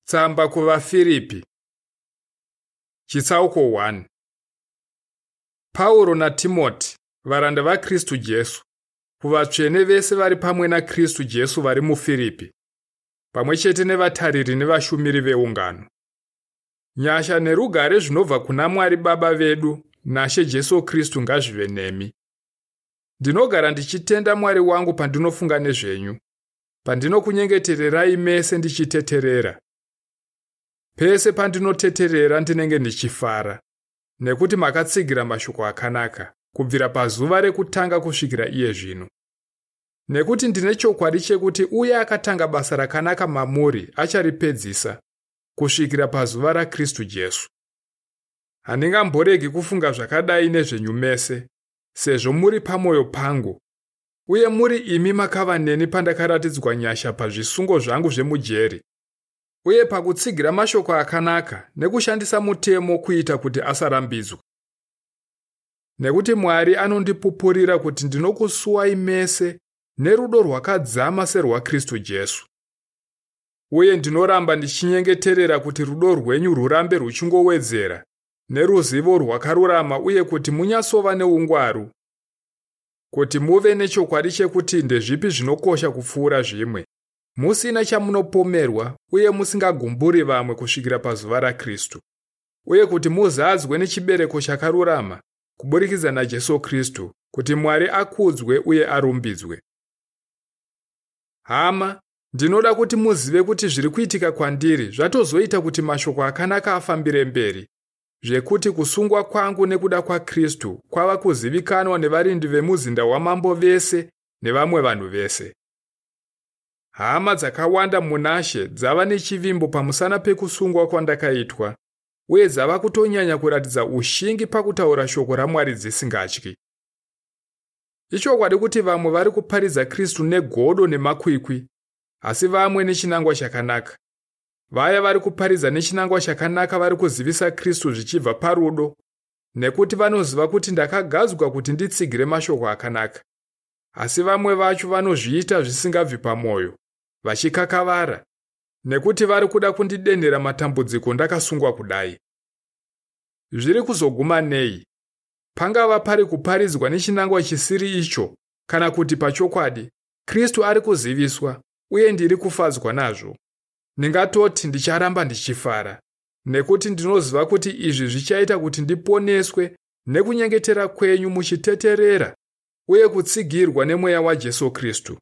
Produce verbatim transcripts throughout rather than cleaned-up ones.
Tsamba kuvaFiripi Chitsauko one. Pauro naTimoti, varanda vaKristu Jesu, kuvatsvene vese vari pamwe naKristu Jesu vari muFiripi, pamwe chete nevatariri nevashumiri veungano. Nyasha nerugare zvinobva kuna Mwari Baba vedu naShe Jesu Kristu ngazvive nemi. Ndinogara ndichitenda Mwari wangu pandinofunga nezvenyu, pandinokunyengetererai mese ndichiteterera. Pese pandinoteterera ndinenge ndichifara, nekuti makatsigira mashoko akanaka, kubvira pazuva rekutanga kusvikira iye zvino. Nekuti ndine chokwadi chekuti uye akatanga basa rakanaka mamuri acharipedzisa, kusvikira pazuva raKristu Jesu. Handingamboregi kufunga zvakadai nezvenyu mese, sezvo muri pamwoyo pangu, uye muri imi makava neni pandakaratidzwa nyasha pazvisungo zvangu zvemujeri, uye pakutsigira mashoko akanaka nekushandisa mutemo kuita kuti asarambidzwa. Nekuti Mwari anondipupurira kuti ndinokusuwai mese nerudo rwakadzama serwaKristu Jesu. Uye ndinoramba ndichinyengeterera kuti rudo rwenyu rwurambe ruchingowedzera neruzivo rwakarurama uye kuti munyatsova neungwaru, kuti muve nechokwadi chekuti ndezvipi zvinokosha kupfuura zvimwe, musina chamunopomerwa uye musingagumburi vamwe kusvikira pazuva raKristu, uye kuti muzadzwe nechibereko chakarurama kuburikidza naJesu Kristu, kuti Mwari akudzwe uye arumbidzwe. Hama, ndinoda kuti muzive kuti zviri kuitika kwandiri zvatozoita kuti mashoko akanaka afambire mberi, zvekuti kusungwa kwangu nekuda kwaKristu kwava kuzivikanwa nevarindi vemuzinda wamambo vese nevamwe vanhu vese. Hama dzakawanda munaShe dzava nechivimbo pamusana pekusungwa kwandakaitwa, uye dzava kutonyanya kuratidza ushingi pakutaura shoko raMwari dzisingatyi. Ichokwadi kuti vamwe vari kuparidza Kristu negodo nemakwikwi, asi vamwe nechinangwa chakanaka. Vaya vari kuparidza nechinangwa chakanaka vari kuzivisa Kristu zvichibva parudo, nekuti vanoziva kuti ndakagadzwa kuti nditsigire mashoko akanaka. Asi vamwe vacho vanozviita zvisingabvi pamwoyo, vachikakavara, nekuti vari kuda kundidenhera matambudziko ndakasungwa kudai. Zviri kuzoguma nei? Pangava pari kuparidzwa nechinangwa chisiri icho, kana kuti pachokwadi, Kristu ari kuziviswa, uye ndiri kufadzwa nazvo. Ndingatoti ndicharamba ndichifara, nekuti ndinoziva kuti izvi zvichaita kuti ndiponeswe nekunyengetera kwenyu muchiteterera uye kutsigirwa nemweya waJesu Kristu.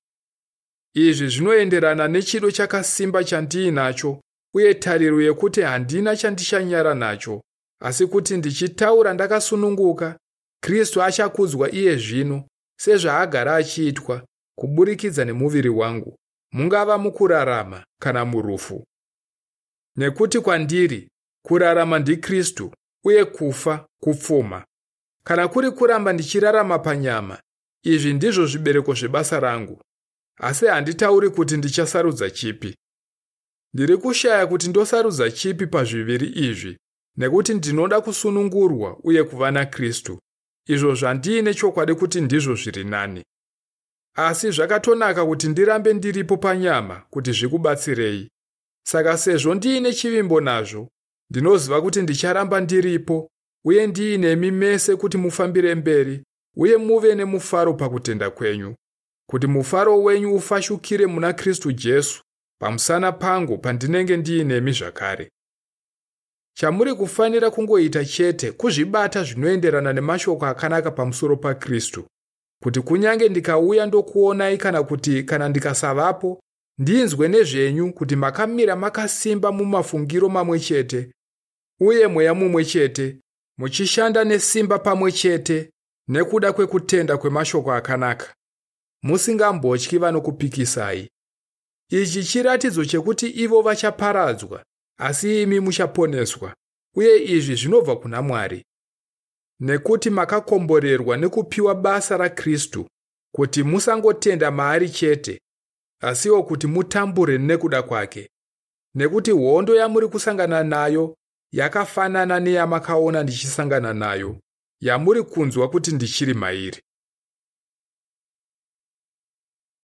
Izvi zvinoenderana nechido chakasimba chandiinacho uye tariro yekuti handina chandichanyara nacho, asi kuti ndichitaura ndakasununguka, Kristu achakudzwa iye zvino sezvaagara achiitwa kuburikidza nemuviri wangu, mungava mukurarama kana murufu. Nekuti kwandiri kurarama ndiKristu uye kufa kupfuma. Kana kuri kuramba ndichirarama panyama, izvi ndizvo zvibereko zvebasa rangu. Asi handitauri kuti ndichasarudza chipi. Ndiri kushaya kuti ndosarudza chipi pazviviri izvi, nekuti ndinoda kusunungurwa uye kuva naKristu, izvo zvandiine chokwadi kuti ndizvo zviri nani. Asi zvakatonaka kuti ndirambe ndiripo panyama kuti zvikubatsirei. Saka sezvo ndiine chivimbo nazvo, ndinoziva kuti ndicharamba ndiripo uye ndiinemi mese kuti mufambire mberi uye muve nemufaro pakutenda kwenyu, kuti mufaro wenyu ufashukire muna Kristu Jesu pamusana pangu pandinenge ndiinemi zvakare. Chamuri kufanira kungoita chete kuzvibata zvinoenderana nemashoko akanaka pamusoro paKristu, kuti kunyange ndikauya ndokuonai kana kuti kana ndikasavapo, ndinzwe nezvenyu kuti makamira makasimba mumafungiro mamwe chete uye mweya mumwe chete, muchishanda nesimba pamwe chete nekuda kwekutenda kwemashoko akanaka, musingambotyi vanokupikisai. Ichi chiratidzo chekuti ivo vachaparadzwa, asi imi muchaponeswa, uye izvi zvinobva kuna Mwari. Nekuti makakomborerwa nekupiwa basa raKristu, kuti musangotenda maari chete, asiwo kuti mutambure nekuda kwake. Nekuti hondo yamuri kusangana nayo yakafanana neyamakaona ndichisangana nayo, yamuri kunzwa kuti ndichiri mairi.